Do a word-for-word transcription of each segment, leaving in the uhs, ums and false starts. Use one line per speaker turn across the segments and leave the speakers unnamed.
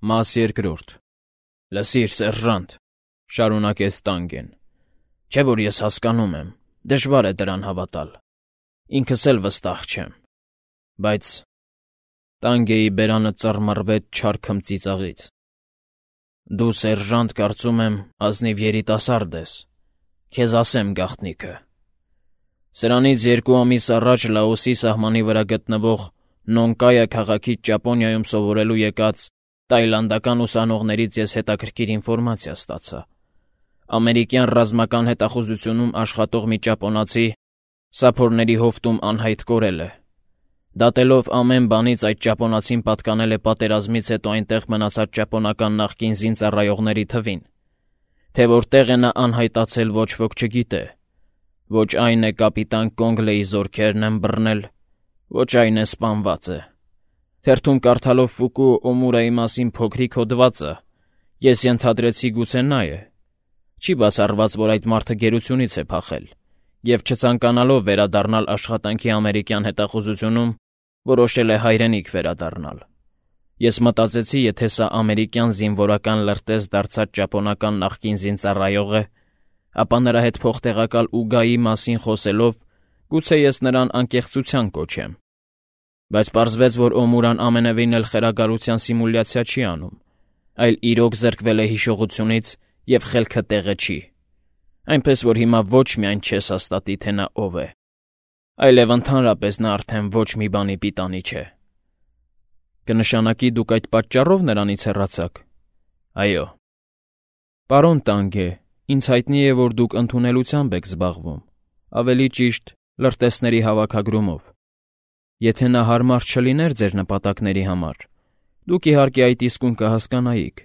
Մաս երկրորդ Լսիր, սերժանտ, շարունակեց Տանգեն, չէ՞ որ ես հասկանում եմ, դժվար է դրան հավատալ, ինքս էլ վստահ չեմ, բայց… Տանգեի բերանը ծռմռվեց չար քմծիծաղից. Դու, սերժանտ, կարծում եմ, ազնիվ երիտասարդ ես, քեզ ասեմ գաղտնիքը. սրանից երկու ամիս առաջ Լաոսի սահմանի վրա գտնվող Նոնկայա քաղաքից Ճապոնիայում սովորելու եկած տայլանդական ուսանողներից ես հետաքրքիր ինֆորմացիա ստացա. ամերիկյան ռազմական հետախուզությունում աշխատող մի ճապոնացի սափորների հովտում անհայտ կորել է. Դատելով ամեն բանից այդ ճապոնացին պատկանել է պատերազմից հետո այնտեղ մնացած ճապոնական նախկին զինծառայողների թվին, թե որտեղ է նա անհայտացել ոչ ոք չգիտե, ոչ այն է կապիտան Կոնգլեի զորքերն են բռնել, ոչ այն է սպանված է. Թերթում կարդալով Ֆուկուո Օմուրայի մասին փոքրիկ հոդվածը, ես ենթադրեցի գուցե նա է, չի բացառված, որ այդ մարդը գերությունից է փախել, և չցանկանալով վերադառնալ աշխատանքի ամերիկյան հետախուզությունում, որոշել է հայրենիք վերադառնալ. Ես մտածեցի, եթե սա ամերիկյան զինվորական լրտես դարձած ճապոնական նախկին զինծառայող է, ապա նրա հետ փոխտեղակալ Ուգայի մասին խոսելով, գուցե ես նրան անկեղծության կոչեմ. Բայց պարզվեց, որ Օմուրան ամենևին էլ խելագարության սիմուլյացիա չի անում, այլ իրոք զրկվել է հիշողությունից և խելքը տեղը չի, այնպես որ հիմա ոչ միայն չես հաստատի, թե նա ով է, այլև ընդհանրապես նա արդեն ոչ մի բանի պիտանի չէ։ Կնշանակի դուք այդ պատճառով նրանից հեռացաք։ Այո։ Պարոն Տանգե, ինձ հայտնի է, որ դուք ընդունելությամբ եք զբաղվում, ավելի ճիշտ լրտեսների հավաքագրումով։ Եթե նա հարմար չլիներ ձեր նպատակների համար, դուք իհարկե այդ իսկույն կհասկանայիք։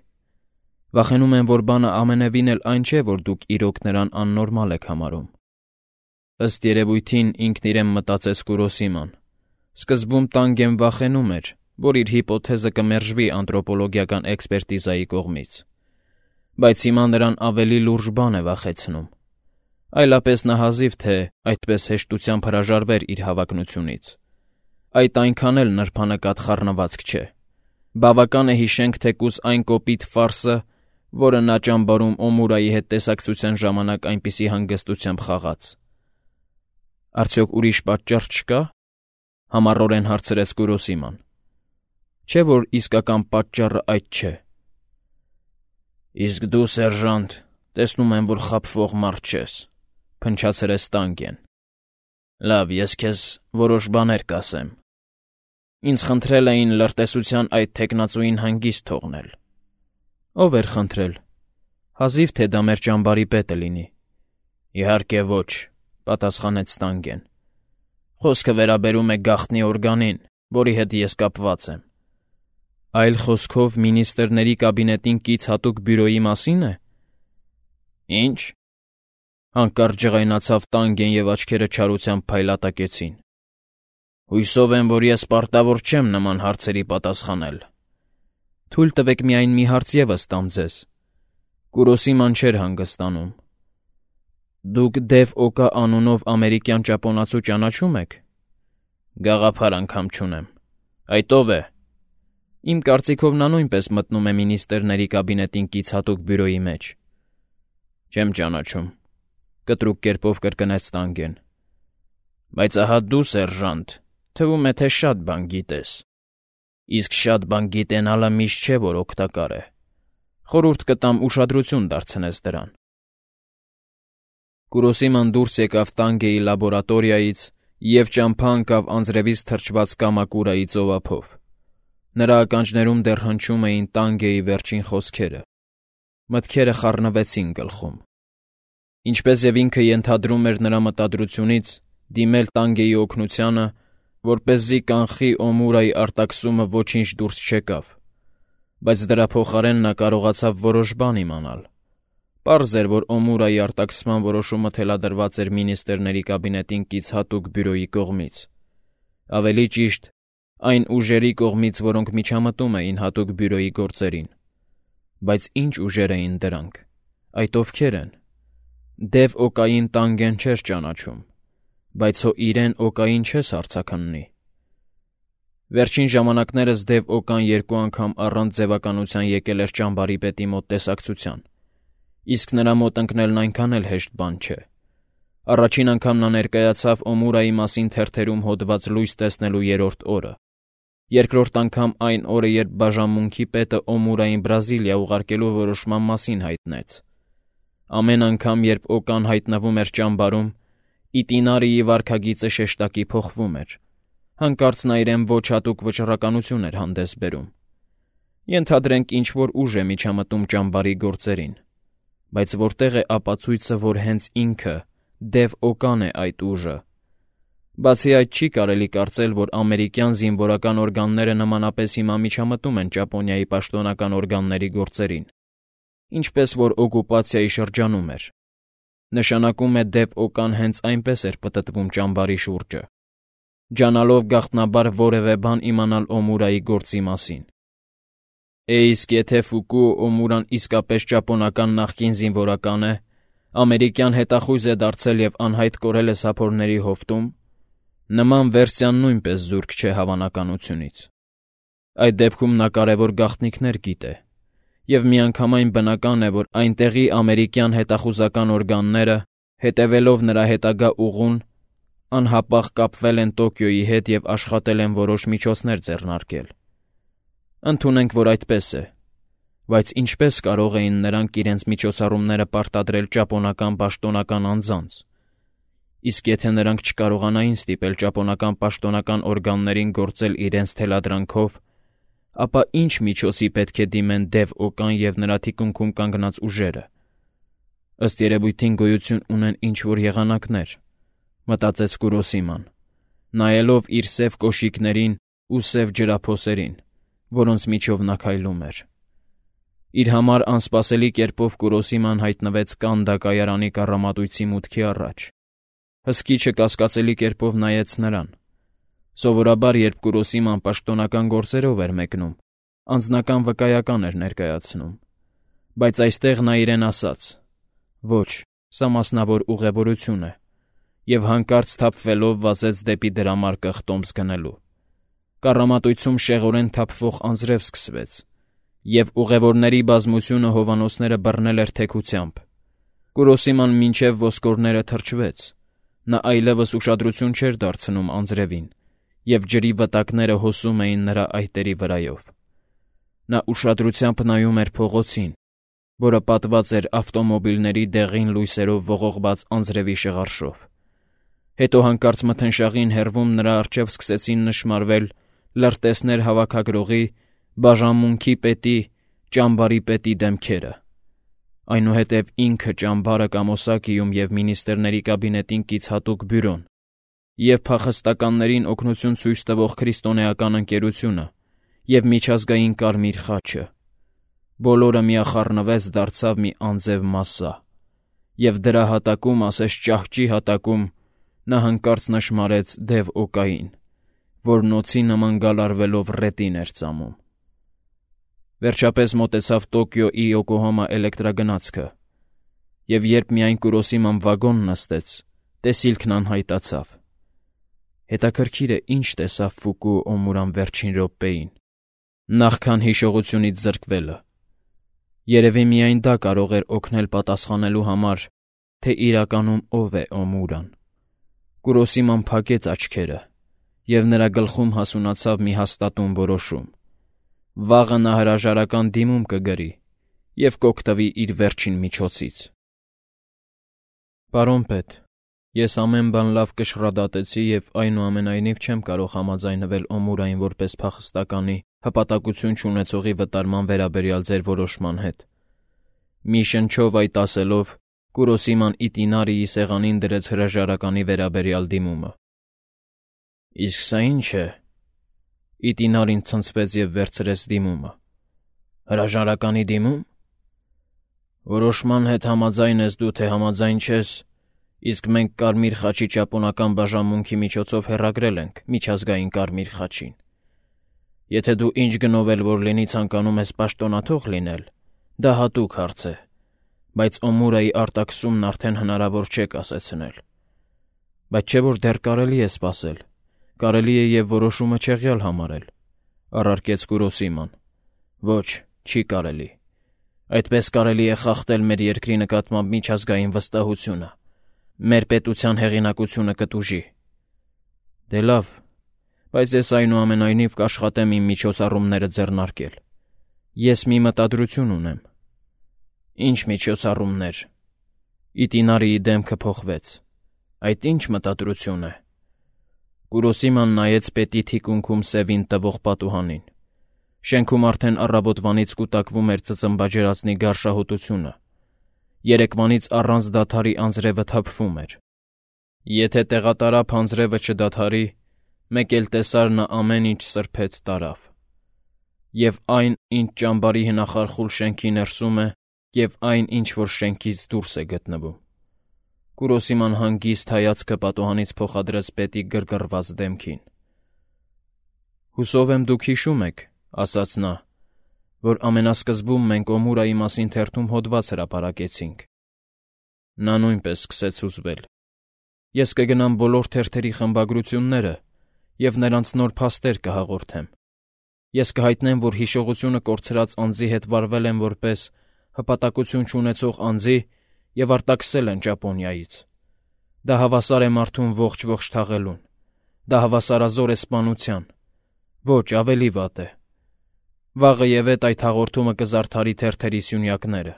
Վախենում եմ, որ բանը ամենևին էլ այն չէ, որ դուք իրոք նրան աննորմալ եք համարում։ Ըստ երևույթին ինքն իրեն մտածեց Կուրոսիման. սկզբում Տանգեն վախենում էր, որ իր հիպոթեզը կմերժվի անթրոպոլոգիական էքսպերտիզայի կողմից, բայց հիմա նրան ավելի լուրջ բան է վախեցնում, այլապես նա հազիվ թե այդպես հեշտությամբ հրաժարվեր իր հավակնությունից։ Այդ այնքան էլ նրբանկատ խառնվածք չէ։ Բավական է հիշենք թեկուզ այն կոպիտ ֆարսը, որը նա ճամբարում Օմուրայի հետ տեսակցության ժամանակ այնպիսի հանգստությամբ խաղաց։ Արդյոք ուրիշ պատճառ չկա՞, համառորեն հարցրեց Կուրոսիման։ Չէ՞ որ իսկական պատճառը այդ չէ։ Իսկ դու, սերժանտ, տեսնում եմ, որ խաբվող մարդ չես, փնչացրեց Տանգեն։ Լավ, ես քեզ որոշ բաներ կասեմ։ Ինձ խնդրել էին լրտեսության այդ թեկնածուին հանգիստ թողնել։ Ո՞վ էր խնդրել։ Հազիվ թե դա մեր ճամբարի պետը լինի։ Իհարկե ոչ, պատասխանեց Տանգեն։ Խոսքը վերաբերում է գաղտնի օրգանին, որի հետ ես կապված եմ։ Այլ խոսքով մինիստրների կաբինետին կից հատուկ բյուրոյի մասին է։ Ինչ։ Հանկարծ ջղայնացավ Տանգեն և աչքերը չարությամբ փայլատակեցին։ Հույսով եմ, որ ես պարտավոր չեմ նման հարցերի պատասխանել։ Թույլ տվեք միայն մի հարց ևս տամ ձեզ։ Կուրոսիման չէր հանգստանում։ Դուք Դև Օկա անունով ամերիկյան ճապոնացու ճանաչում եք։ Գաղափար անգամ չունեմ։ Այդ ո՞վ է։ Իմ կարծիքով նա նույնպես մտնում է մինիստրների կաբինետին կից հատուկ բյուրոյի մեջ։ Չեմ ճանաչում, կտրուկ կերպով կրկնեց Տանգեն։ Բայց ահա դու, սերժանտ, թվում է, թե շատ բան գիտես։ Իսկ շատ բան գիտենալը միշտ չէ, որ օգտակար է։ Խորհուրդ կտամ ուշադրություն դարձնես դրան։ Կուրոսիման դուրս եկավ Տանգեի լաբորատորիայից և ճամփա ընկավ անձրևից թրջված Կամակուրայի ծովափով։ Նրա ականջներում դեռ հնչում էին Տանգեի վերջին խոսքերը։ Մտքերը խառնվեցին գլխում։ Ինչպես և ինքը ենթադրում էր նրա մտադրությունից, դիմել Տանգեի օգնությանը, որպեսզի կանխի Օմուրայի արտաքսումը ոչինչ դուրս չեկավ, բայց դրա փոխարեն նա կարողացավ որոշ բան իմանալ։ Պարզ էր, որ Օմուրայի արտաքսման որոշումը թելադրված էր մինիստրների կաբինետին կից հատուկ բյուրոյի կողմից։ Ավելի ճիշտ, այն ուժերի կողմից, որոնք միջամտում էին հատուկ բյուրոյի գործերին։ Բայց ինչ ուժեր էին դրանք, այդ ովքեր են։ Դև Օկային Տանգեն չէր ճանաչում, բայց հո իրեն Օկային չես հարցաքննի։ Վերջին ժամանակներս Դև Օկան երկու անգամ առանց ձևականության եկել էր ճամբարի պետի մոտ տեսակցության, իսկ նրա մոտ ընկնելն այնքան էլ հեշտ բան չէ։ Առաջին անգամ նա ներկայացավ Օմուրայի մասին թերթերում հոդված լույս տեսնելու երրորդ օրը, երկրորդ անգամ այն օրը, երբ բաժանմունքի պետը Օմուրային Բրազիլիա ուղարկելու որոշման մասին հայտնեց։ Ամեն անգամ, երբ Օկան հայտնվում էր ճամբարում, Իտինարիի վարքագիծը շեշտակի փոխվում էր, հանկարծ նա իրեն ոչ հատուկ վճռականություն էր հանդես բերում։ Ենթադրենք ինչ-որ ուժ է միջամտում ճամբարի գործերին, բայց որտեղ է ապացույցը, որ հենց ինքը Դև Օկան է այդ ուժը։ Բացի այդ, չի կարելի կարծել, որ ամերիկյան զինվորական օրգանները նմանապես հիմա միջամտում են Ճապոնիայի պաշտոնական օրգանների գործերին, ինչպես որ օկուպացիայի շրջանում էր։ Նշանակում է Դև Օկան հենց այնպես էր պտտվում ճամբարի շուրջը, ջանալով գաղտնաբար որևէ բան իմանալ Օմուրայի գործի մասին։ Է իսկ եթե Ֆուկուո Օմուրան իսկապես ճապոնական նախկին զինվորական է, ամերիկյան հետախույզ է դարձել և անհայտ կորել է սափորների հովտում, նման վերսիան նույնպես զուրկ չէ հավանականությունից։ Այդ դեպքում նա կարևոր գաղտնիքներ գիտե, և միանգամայն բնական է, որ այնտեղի ամերիկյան հետախուզական օրգանները, հետևելով նրա հետագա ուղուն, անհապաղ կապվել են Տոկիոյի հետ և աշխատել են որոշ միջոցներ ձեռնարկել։ Ընդունենք, որ այդպես է, բայց ինչպե՞ս կարող էին նրանք իրենց միջոցառումները պարտադրել ճապոնական պաշտոնական անձանց, իսկ եթե նրանք չկարողանային ստիպել ճապոնական պաշտոնական օրգաններին գործել իրենց թելադրանքով, ապա ինչ միջոցի պետք է դիմեն Դև Օկան և նրա թիկունքում կանգնած ուժերը։ Ըստ երևույթին գոյություն ունեն ինչ-որ եղանակներ, մտածեց Կուրոսիման, նայելով իր սև կոշիկներին ու սև ջրափոսերին, որոնց միջով նա քայլում էր։ Իր համար անսպասելի կերպով Կուրոսիման հայտնվեց Կանդա կայարանի կառամատույցի մուտքի առաջ։ Հսկիչը կասկածելի կերպով նայեց նրան։ Սովորաբար, երբ Կուրոսիման պաշտոնական գործերով էր մեկնում, անձնական վկայական էր ներկայացնում, բայց այստեղ նա իրեն ասաց. «Ոչ, սա մասնավոր ուղևորություն է», և հանկարծ թափվելով վազեց դեպի դրամարկղ տոմս գնելու։ Կառամատույցում շեղորեն թափվող անձրև սկսվեց, և ուղևորների բազմությունը հովանոցները բռնել էր թեքությամբ։ Կուրոսիման մինչև ոսկորները թրջվեց, նա այլևս ուշադրություն չէր դարձնում անձրևին, և ջրի վտակները հոսում էին նրա այտերի վրայով։ Նա ուշադրությամբ նայում էր փողոցին, որը պատված էր ավտոմոբիլների դեղին լույսերով ողողված անձրևի շղարշով։ Հետո հանկարծ մթնշաղին հեռվում նրա առջև սկսեցին նշմարվել լրտեսներ հավաքագրողի, բաժանմունքի պետի, ճամբարի պետի դեմքերը։ Այնուհետև ինքը ճամբարը կամ Օսակիում և մինիստրների կաբինետին կից հատուկ բյուրոն, և փախստականներին օգնություն ցույց տվող քրիստոնեական ընկերությունը, և միջազգային Կարմիր խաչը։ Բոլորը միախառնվեց, դարձավ մի անձև մասսա, և դրա հատակում, ասես ճահճի հատակում, նա հանկարծ նշմարեց Դև Օկային, որ նոցի նման գալարվելով ռետին էր ծամում։ Վերջապես մոտեցավ Տոկիոյի Յոկոհամա էլեկտրագնացքը, և երբ միայն Կուրոսիման վագոն նստեց, տեսիլքն անհայտացավ։ Հետաքրքիր է, ինչ տեսավ Ֆուկուո Օմուրան վերջին րոպեին, նախքան հիշողությունից զրկվելը։ Երևի միայն դա կարող էր օգնել պատասխանելու համար, թե իրականում ով է Օմուրան։ Կուրոսիման փակեց աչքերը, և նրա գլխում հասունացավ մի հաստատուն որոշում. վաղը նա հրաժարական դիմում կգրի և կօգտվի իր վերջին միջոցից։ Պարոն պետ, ես ամեն բան լավ կշռադատեցի և այնուամենայնիվ չեմ կարող համաձայնվել Օմուրային որպես փախստականի հպատակություն չունեցողի վտարման վերաբերյալ ձեր որոշման հետ։ Մի շնչով այդ ասելով, Կուրոսիման Իտինարիի սեղանին դրեց հրաժարականի վերաբերյալ դիմումը։ Իսկ սա ի՞նչ է։ Իտինարին ցնցվեց և վերցրեց դիմումը։ Հրաժարականի դիմում։ Որոշման հետ համաձայն ես դու, թե համաձայն չես, իսկ մենք Կարմիր խաչի ճապոնական բաժանմունքի միջոցով հեռագրել ենք միջազգային Կարմիր խաչին։ Եթե դու ինչ գնով էլ որ լինի ցանկանում ես պաշտոնաթող լինել, դա հատուկ հարց է, բայց Օմուրայի արտաքսումն արդեն հնարավոր չէ կասեցնել։ Բայց չէ՞ որ դեռ կարելի է սպասել, Կարելի է և որոշումը չեղյալ համարել, առարկեց Կուրոսիման։ Ոչ, չի կարելի։ Այդպես կարելի է խախտել մեր երկրի նկատմամբ միջազգային վստահությունը, մեր պետության հեղինակությունը կտուժի։ Դե լավ, բայց ես այնուամենայնիվ կաշխատեմ իմ միջոցառումները ձեռնարկել։ Ես մի մտադրություն ունեմ։ Ինչ միջոցառումներ։ Իտինարիի դեմքը փոխվեց։ Այդ ինչ մտադրություն է։ Կուրոսիման նայեց պետի թիկունքում սևին տվող պատուհանին։ Շենքում արդեն առավոտվանից կուտակվում էր ծծմբաջրածնի գարշահոտությունը։ Երեկվանից առանց դադարի անձրևը թափվում էր։ Եթե տեղատարափ անձրևը չդադարի, մեկ էլ տեսար նա ամեն ինչ սրբեց տարավ։ Եվ այն, ինչ ճամբարի հնախարխուլ շենքի ներսում է, և այն, ինչ որ շենքից դուրս է գտնվում։ Կուրոսիման հանգիստ հայացքը պատուհանից փոխադրեց պետի գրգռված դեմքին։ Հուսով եմ դուք հիշում եք, ասաց նա, որ ամենասկզբում մենք Օմուրայի մասին թերթում հոդված հրապարակեցինք։ Նա նույնպես սկսեց հուզվել։ Ես կգնամ բոլոր թերթերի խմբագրությունները և նրանց նոր փաստեր կհաղորդեմ։ Ես կհայտնեմ, որ հիշողությունը կորցրած անձի հետ վարվել են որպես հպատակություն չունեցող անձի և արտաքսել են Ճապոնիայից։ Դա հավասար է մարդուն ողջ-ողջ թաղելուն։ Դա հավասարազոր է սպանության։ Ոչ, ավելի վատ է։ Վաղը ևեթ այդ հաղորդումը կզարդարի թերթերի սյունյակները։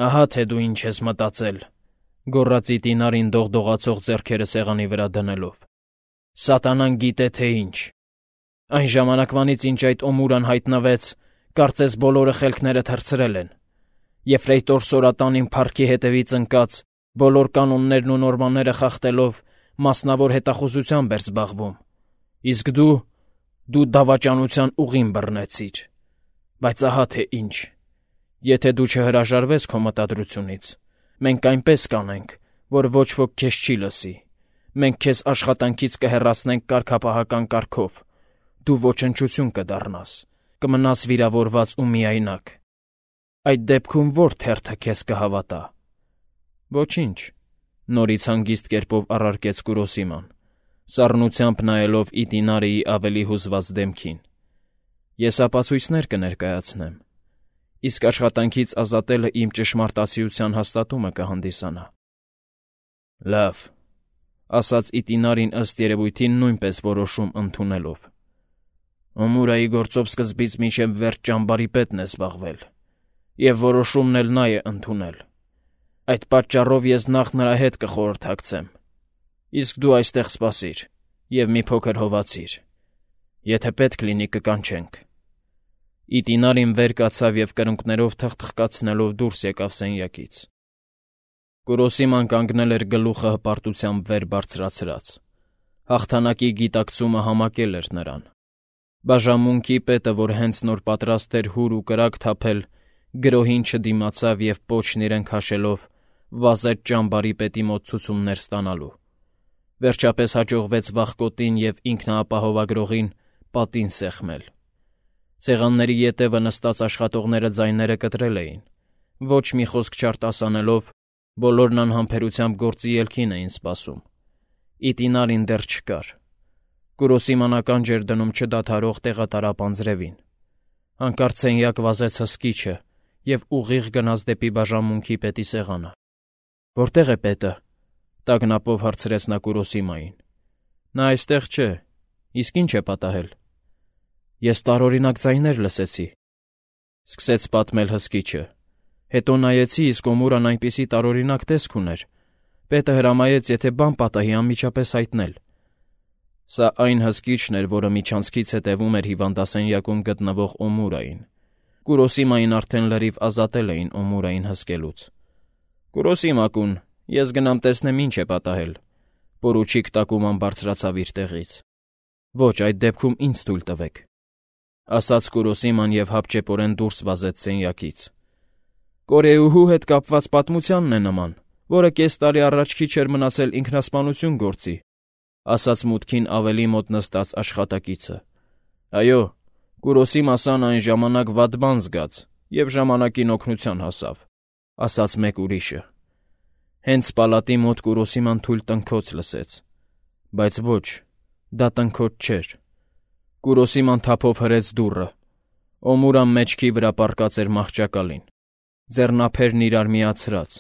Ահա թե դու ինչ ես մտածել, գոռաց Իտինարին դողդողացող ձեռքերը սեղանի վրա դնելով։ Սատանան գիտե թե ինչ։ Այն ժամանակվանից, ինչ այդ Օմուրան հայտնվեց, կարծես բոլորը խելքները թռցրել են։ Եֆրեյտոր Սորատանին փառքի հետևից ընկած, բոլոր կանոններն ու նորմաները խախտելով, մասնավոր հետախուզությամբ էր զբաղվում։ Իսկ դու, դու դավաճանության ուղին բռնեցիր։ Բայց ահա թե ինչ։ Եթե դու չհրաժարվես քո մտադրությունից, մենք այնպես կանենք, որ ոչ ոք քեզ չի լսի։ Մենք քեզ աշխատանքից կհեռացնենք կարգապահական կարգով։ Դու ոչնչություն կդառնաս, կմնաս վիրավորված ու միայնակ։ Այդ դեպքում ո՞ր թերթը քեզ կհավատա։ Ոչինչ, նորից հանգիստ կերպով առարկեց Կուրոսիման, սառնությամբ նայելով Իտինարիի ավելի հուզված դեմքին։ Ես ապացույցներ կներկայացնեմ, իսկ աշխատանքից ազատելը իմ ճշմարտացիության հաստատումը կհանդիսանա։ Լավ, ասաց Իտինարին ըստ երևույթին նույնպես որոշում ընդունելով։ Օմուրայի գործով սկզբից մինչև վերջ ճամբարի պետն է զբաղվել, և որոշումն էլ նա է ընդունել։ Այդ պատճառով ես նախ նրա հետ կխորհրդակցեմ, իսկ դու այստեղ սպասիր և մի փոքր հովացիր։ Եթե պետք լինի կկանչենք։ Իտինարին վեր կացավ և կրունկներով թխթխկացնելով դուրս եկավ սենյակից։ Կուրոսիման կանգնել էր գլուխը հպարտությամբ վեր բարձրացրած։ Հաղթանակի գիտակցումը համակել էր նրան։ Բաժանմունքի պետը, որ հենց նոր պատրաստ էր հուր ու կրակ թափել, գրոհին չդիմացավ և պոչն իրեն քաշելով վազեց ճամբարի պետի մոտ ցուցումներ ստանալու։ Վերջապես հաջողվեց վախկոտին և ինքնաապահովագրողին պատին սեղմել։ Սեղանների ետևը նստած աշխատողները ձայները կտրել էին։ Ոչ մի խոսք չարտասանելով, բոլորն անհամբերությամբ գործի ելքին էին սպասում։ Իտինարին դեռ չկար։ Կուրոսիման ականջ էր դնում չդադարող տեղատարապ անձրևին։ Հանկարծ սենյակ վազեց հսկիչը և ուղիղ գնաց դեպի բաժանմունքի պետի սեղանը։ Որտե՞ղ է պետը, տագնապով հարցրեց նա Կուրոսիմային։ Նա այստեղ չէ, իսկ ինչ է պատահել։ Ես տարօրինակ ձայներ լսեցի, սկսեց պատմել հսկիչը։ Հետո նայեցի, իսկ Օմուրան այնպիսի տարօրինակ տեսք ուներ։ Պետը հրամայեց, եթե բան պատահի, անմիջապես հայտնել։ Սա այն հսկիչն էր, որը միջանցքից հետևում էր հիվանդասենյակում գտնվող Օմուրային։ Կուրոսիմային արդեն լրիվ ազատել էին Օմուրային հսկելուց։ Կուրոսիմա-կուն, ես գնամ տեսնեմ ինչ է պատահել։ Պորուչիկ Տակուման բարձրացավ իր տեղից։ Ոչ, այդ դեպքում ինձ թույլ տվեք, ասաց Կուրոսիման և հապճեպորեն դուրս վազեց սենյակից։ Կորեուհու հետ կապված պատմությանն է նման, որը կես տարի առաջ քիչ էր մնացել ինքնասպանություն գործի, ասաց մուտքին ավելի մոտ նստած աշխատակիցը։ Այո, Կուրոսիմասան այն ժամանակ վատ բան զգաց և ժամանակին օգնության հասավ, ասաց մեկ ուրիշը։ Հենց պալատի մոտ Կուրոսիման թույլ տնքոց լսեց, բայց ոչ, Դա տնքոց չէր։ Կուրոսիման թափով հրեց դուռը։ Օմուրան մեջքի վրա պառկած էր մահճակալին, ձեռնափերն իրար միացրած,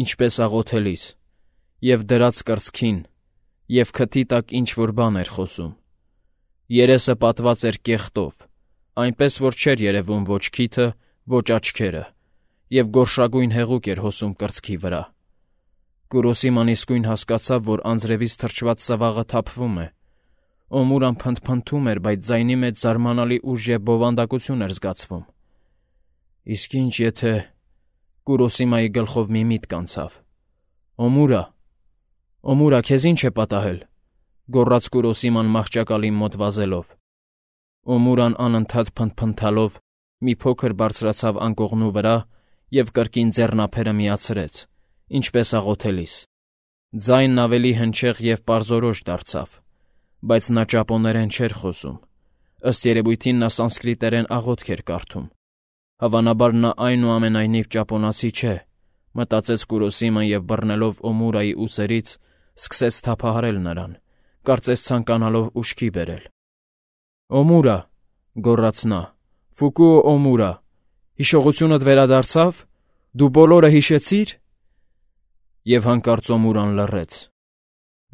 ինչպես աղոթելիս, և դրած կրծքին, և քթի տակ ինչ-որ բան էր խոսում։ Երեսը պատված էր կեղտով, այնպես որ չէր երևում ոչ քիթը, ոչ աչքերը, և գորշագույն հեղուկ էր հոսում կրծքի վրա։ Կուրոսիման իսկույն հասկացավ, որ անձրևից թրջված սվաղը թափվում է։ Օմուրան փնթփնթում էր, բայց ձայնի մեջ զարմանալի ուժ և բովանդակություն էր զգացվում։ Իսկ ինչ եթե… Կուրոսիմայի գլխով մի միտք անցավ։ «Օմուրա, Օմուրա, քեզ ինչ է պատահել», գոռաց Կուրոսիման մահճակալին մոտ վազելով։ Օմուրան անընդհատ փնթփնթալով մի փոքր բարձրացավ անկողնու վրա և կրկին ձեռնափերը միացրեց, ինչպես աղոթելիս։ Ձայնն ավելի հնչեղ և պարզորոշ դարձավ, բայց նա ճապոներեն չէր խոսում։ Ըստ երևույթին նա սանսկրիտերեն աղոթք էր կարդում։ Հավանաբար նա այնուամենայնիվ ճապոնացի չէ, մտածեց Կուրոսիման և բռնելով Օմուրայի ուսերից, սկսեց թափահարել նրան, կարծես ցանկանալով ուշքի բերել։ «Օմուրա», գոռաց նա, «Ֆուկուո Օմուրա, հիշողությունդ վերադարձա՞վ։ Դու բոլորը հիշեցի՞ր»։ Եվ հանկարծ Օմուրան լռեց։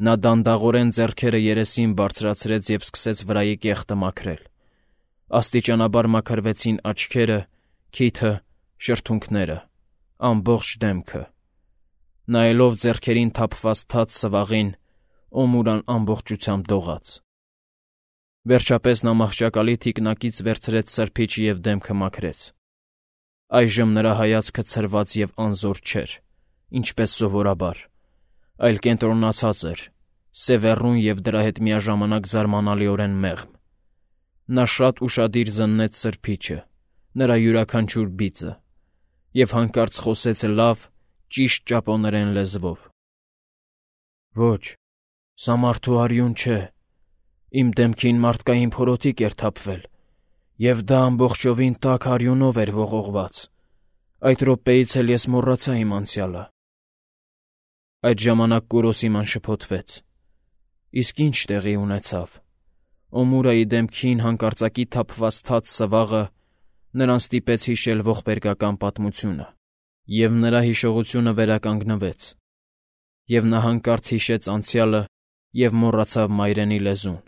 Նա դանդաղորեն ձեռքերը երեսին բարձրացրեց և սկսեց վրայի կեղտը մաքրել։ Աստիճանաբար մաքրվեցին աչքերը, քիթը, շրթունքները, ամբողջ դեմքը։ Նայելով ձեռքերին թափված թաց սվաղին, Օմուրան ամբողջությամբ դողաց։ Վերջապես նա մահճակալի թիկնակից վերցրեց սրբիչը և դեմքը մաքրեց։ Այժմ նրա հայացքը ցրված և անզոր չէր, ինչպես սովորաբար, այլ կենտրոնացած էր, սևեռուն և դրա հետ միաժամանակ զարմանալիորեն մեղմ։ Նա շատ ուշադիր զննեց սրբիչը, նրա յուրաքանչյուր բիծը, և հանկարծ խոսեց լավ, ճիշտ ճապոներեն լեզվով. «Ոչ, սա մարդու արյուն չէ։ Իմ դեմքին մարդկային փորոտիք էր թափվել, և դա ամբողջովին տաք արյունով էր ողողված։ Այդ րոպեից էլ ես մոռացա իմ անցյալը»։ Այդ ժամանակ Կուրոսիման շփոթվեց։ Իսկ ի՞նչ տեղի ունեցավ։ Օմուրայի դեմքին հանկարծակի թափված թաց սվաղը նրան ստիպեց հիշել ողբերգական պատմությունը, և նրա հիշողությունը վերականգնվեց, և նա հանկարծ հիշեց անցյալը և մոռացավ մայրենի լեզուն։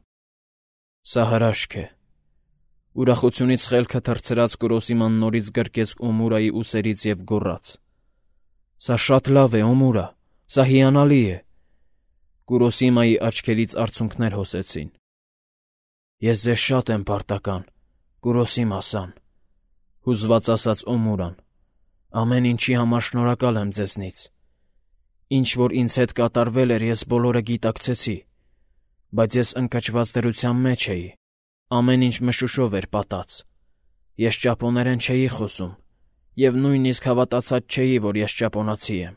Սա հրաշք է։ Ուրախությունից խելքը թռցրած Կուրոսիման նորից գրկեց Օմուրայի ուսերից և գոռաց. «Սա շատ լավ է, Օմուրա, սա հիանալի է»։ Կուրոսիմայի աչքերից արցունքներ հոսեցին։ «Ես ձեզ շատ եմ պարտական, Կուրոսիմա֊սան», հուզված ասաց Օմուրան։ «Ամեն ինչի համար շնորհակալ եմ ձեզնից։ Ինչ որ ինձ հետ կատարվել էր, ես բոլորը գիտակցեցի, բայց ես ընկճված դրության մեջ էի, ամեն ինչ մշուշով էր պատած։ Ես ճապոներեն չէի խոսում և նույնիսկ հավատացած չէի, որ ես ճապոնացի եմ»։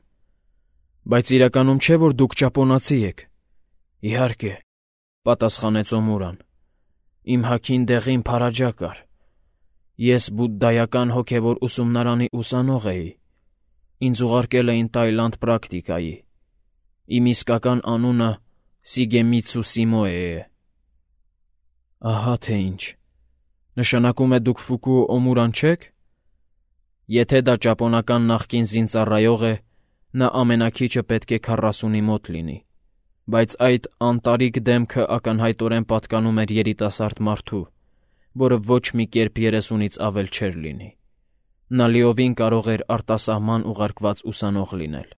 «Բայց իրականում չէ՞ որ դուք ճապոնացի եք»։ «Իհարկե», պատասխանեց Օմուրան։ «Իմ հագին դեղին փարաջա կար։ Ես բուդդայական հոգևոր ուսումնարանի ուսանող էի։ Ինձ ուղարկել էին Տայլանդ պրակտիկայի։ Իմ իսկական անունը Սիգեմիցու Սիմոէ է»։ «Ահա թե ինչ։ Նշանակում է դուք Ֆուկուո Օմուրան չե՞ք։ Եթե դա ճապոնական նախկին զինծառայող է, նա ամենաքիչը պետք է քառասունի մոտ լինի, բայց այդ անտարիք դեմքը ակնհայտորեն պատկանում էր երիտասարդ մարդու, որը ոչ մի կերպ երեսունից ավել չէր լինի։ Նա լիովին կարող էր արտասահման ուղարկված ուսանող լինել»։